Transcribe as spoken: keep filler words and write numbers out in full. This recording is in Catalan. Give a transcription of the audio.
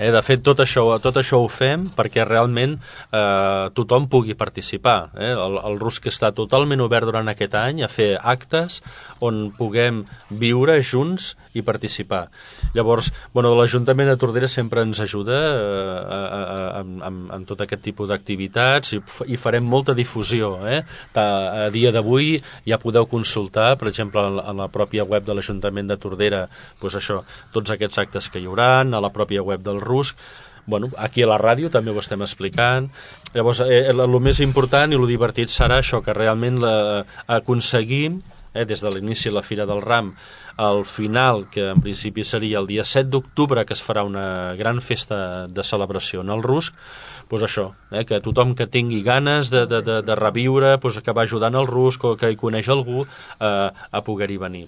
Eh? De fet, tot això, tot això ho fem perquè realment eh, tothom pugui participar. Eh? El, el Rusc està totalment obert durant aquest any a fer actes on puguem viure junts i participar. Llavors, bueno, l'Ajuntament de Tordera sempre ens ajuda eh, en tot aquest tipus d'activitats i, i farem molta difusió. Eh? A dia d'avui ja podeu consultar, per exemple, a la pròpia web de l'Ajuntament de Tordera, doncs això, tots aquests actes que hi haurà, a la pròpia web del Rusc. Bueno, aquí a la ràdio també ho estem explicant. Llavors, eh, el més important i el divertit serà això, que realment la, aconseguim, eh, des de l'inici de la Fira del Ram, al final, que en principi seria el dia set d'octubre, que es farà una gran festa de celebració en el Rusc, doncs això, eh, que tothom que tingui ganes de, de, de, de reviure, doncs que va ajudant el Rusc o que hi coneix algú, eh, a poder-hi venir.